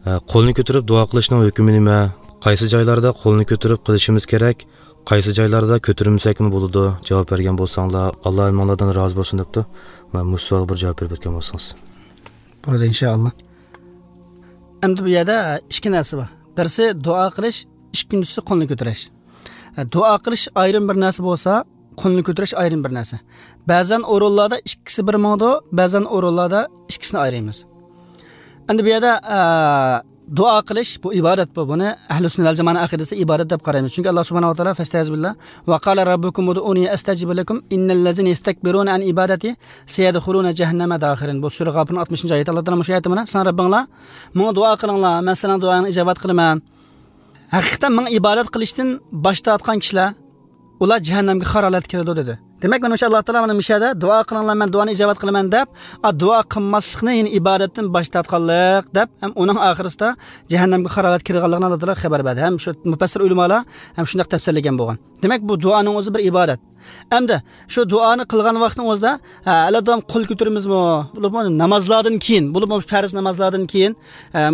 Qo'lni ko'tarib duo qilishning hukmi nima? Qaysi joylarda qo'lni ko'tarib qilishimiz kerak? Qaysi joylarda ko'tarmasakmi bo'ladi? Javob bergan bo'lsanglar, Alloh imonlardan rozi bo'lsin debdi. Va bu savolga bir javob berib o'tgan bo'lsangiz. Bo'ladi inshaalloh. Endi bu yerda ikki narsa bor. Birisi duo qilish, ikkinchisi qo'lni ko'tarish. Duo qilish ayrim bir narsa bo'lsa, qo'lni ko'tarish ayrim bir narsa. Ba'zan o'rinlarda ikkisi bir mavzu, ba'zan o'rinlarda ikkisini ayiramiz. Endi bu yerda duo qilish bu ibodat bu. Buni ahli sunna val jamoa aqidasi ibodat deb qaraymiz. Chunki Alloh subhanahu va taolo fastazbillah va qala robbukum ud'uni astajib lakum innal ladzina yastakbiruna an ibadati sayadkhuluna jahannama dakhirin. Bu sura G'ofirning 60-oyati. Alloh taolo shu oyatda mana sen Robbinglar menga duo qilinglar, men sizlarning duoingni ijobat qilaman. Haqiqatan men ibodat qilishdan bosh tortgan kishilar ular jahannamga xarolat kiradi dedi. Demak, mana o'sha Alloh taolo mana mishada duo qilinglar, men duoni ijobat qilaman deb, duo qilmaslikni, ya'ni ibodatdan bosh tortganlik deb, ham uning oxirisida jahannamga xarolat kirganligini Alloh taolo xabar berdi. Ham shu mufassir ulamolar ham shunday tafsirlagan bo'lgan. Demak, bu duoning o'zi bir ibodat. Endi shu duoni qilgan vaqtning o'zida aladom qo'l ko'tarimizmi? Bo'lib namozlardan keyin, bo'lib farz namozlardan keyin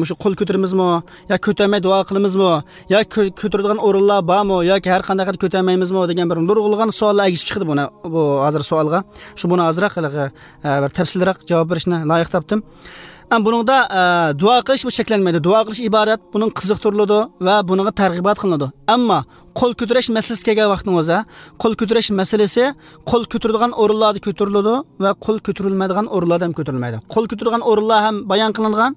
shu qo'l ko'tarimizmi yo ko'tarmay duo qilamizmi yo ko'taradigan o'rinlar bormi yoki har qanday qilib ko'tarmaymizmi degan bir nurg'ulg'an savollar agishib chiqdi buni. Bu hozir savolga shu buni ozroq bir tafsilroq javob berishni loyiq topdim. Am buningda duo qilish bu cheklanmaydi. Duo qilish ibodat, buning qiziqtiriladi va buningga targ'ibot qilinadi. Ammo qo'l ko'tarish masalasi kelgan vaqtning o'zida, qo'l ko'tarish masalasi qo'l ko'taradigan o'rinlarda ko'tariladi va qo'l ko'tarilmaydigan o'rinlarda ham ko'tarilmaydi. Qo'l ko'taradigan o'rinlar ham bayon qilingan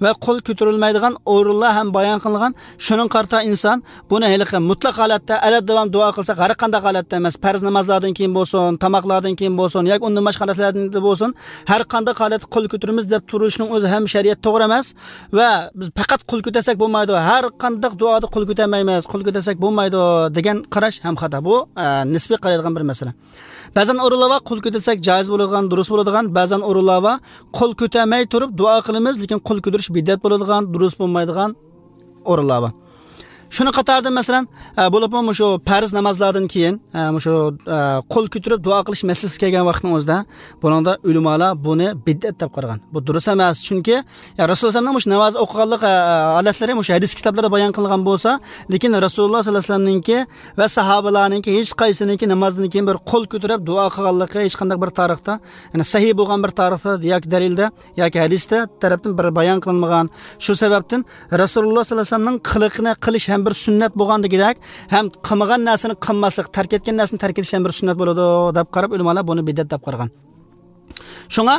va qo'l ko'tarilmaydigan o'rinlar ham bayon qilingan. Shuning qarta inson buni hali mutlaq holatda aladdavam duo qilsa, har qanday holatda emas, farz namozlardan keyin bo'lsin, tomoqlardan keyin bo'lsin yoki undan boshqa holatlardan bo'lsin, har qanday holatda qo'l ko'taramiz deb turishning o'zi ham shariat to'g'ri emas va biz faqat qo'l ko'tarsak bo'lmaydi, har qanday duoda qo'l ko'tarmaymiz, qo'l ko'tarsak bo'lmaydi degan qarash ham xato. Bu nisbiy qaraydigan bir masala. Ba'zan o'rinlarda qo'l ko'tarsak joiz bo'ladigan, durust bo'ladigan, ba'zan o'rinlarda qo'l ko'tarmay turib duo qilamiz, lekin qo'l ko'tarish bid'at bo'ladigan, durust bo'lmaydigan o'rinlar bor. Shuni qatorda masalan, bo'libmi shu farz namozlardan keyin shu qo'l ko'tarib duo qilish masalasi kelgan vaqtning o'zida buningda ulamolar buni bid'at deb qaragan. Bu durust emas, chunki Rasululloh shu namoz o'qiganlik holatlari shu hadis kitoblarida bayon qilingan bo'lsa, lekin Rasululloh sollallohu alayhi vasallamninki va sahobalarninki hech qaysininki namozdan keyin bir qo'l ko'tarib duo qilganligi hech qanday bir tarixda, ya'ni sahih bo'lgan bir tarixda yoki dalilda yoki hadisda tarafdan bir bayon qilinmagan. Shu sababdan Rasululloh sollallohu alayhi vasallamning qiliqini qilish ham bir sunnat bo'lgandagidek, ham qilmagan narsani qilmaslik, tark etgan narsani tark etish ham bir sunnat bo'ladi deb qarab ulamolar buni bid'at deb qaragan. Shunga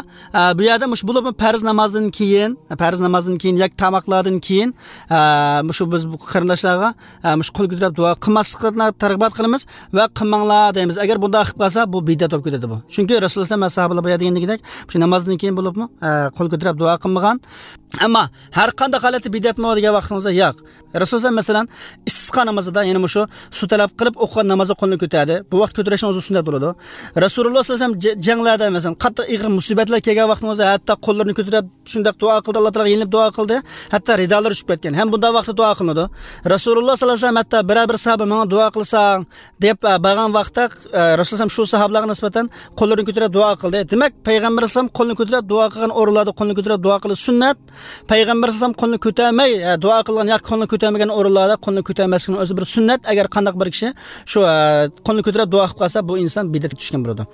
bu yerda mush bo'lib farz namozdan keyin, farz namozdan keyin yoki tomoqlardan keyin shu biz bu qarindoshlarga mush qo'l ko'tarib duo qilmaslikni targ'ibot qilamiz va qilmanglar deymiz. Agar bunday qilib qolsa, bu bid'at bo'lib ketadi bu. Chunki Rasululloh va sahobalar bu degandagidek, shu namozdan keyin bo'libmi qo'l ko'tarib duo qilmagan. Ammo har qanday holatda bid'atmi degan vaqtimizda yo'q. Rasululloh masalan istisqo namozida, ya'ni shu suv talab qilib o'qigan namozda qo'lni ko'tardi. Bu vaqt ko'tarishning o'zi sunnat bo'ladi. Rasululloh sollallohu alayhi vasallam janglarda masalan qattiq ig'ir musibatlar kelgan vaqtimizda hatto qo'llarini ko'tarib shunday duo qildi, Alloh taologa yelinib duo qildi, hatto ridolari tushib ketgan. Ham bunday vaqtda duo qilinadi. Rasululloh sollallohu alayhi vasallam hatto biror bir sahoba menga duo qilsang deb bag'an vaqtda Rasululloh shu sahobalarga nisbatan qo'llarini ko'tarib duo qildi. Demak, payg'ambar sollallohu qo'lini ko'tarib duo qilgan o'rinlarda qo'lini ko'tarib duo qilish sunnat. Payg'ambar sollallohu qo'lini ko'tarmay duo qilgan yoki qo'lini ko'tarmagan o'rinlarda qo'lini ko'tarmaslikning o'zi bir sunnat. Agar qandaq bir kishi shu qo'lini ko'tarib duo qilib qolsa, bu inson bid'atga tushgan bo'ladi.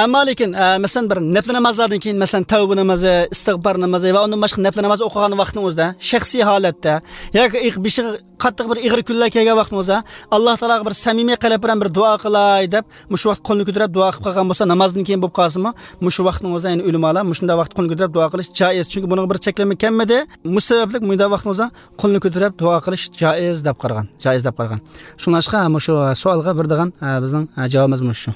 Ammo lekin masalan bir nafl namozlardan keyin, masalan tavba namozi, istig'for namozi va undan boshqa nafl namoz o'qigan vaqtning o'zida shaxsiy holatda yoki beshiga qattiq bir ig'ir kunlar kelgan vaqtning o'zida Alloh taologa bir samimiy qalb bilan bir duo qilay deb shu vaqt qo'lni ko'tarib duo qilib qolgan bo'lsa, namozdan keyin bo'lib qolsinmi, shu vaqtning o'zida ya'ni ulamolar shunday vaqt qo'lni ko'tarib duo qilish joiz, chunki buning bir cheklama kelmadi. Musabablik bunday vaqtning o'zida qo'lni ko'tarib duo qilish joiz deb qaragan, joiz deb qaragan. Shunashqa shu savolga bir degan bizning javobimiz shu.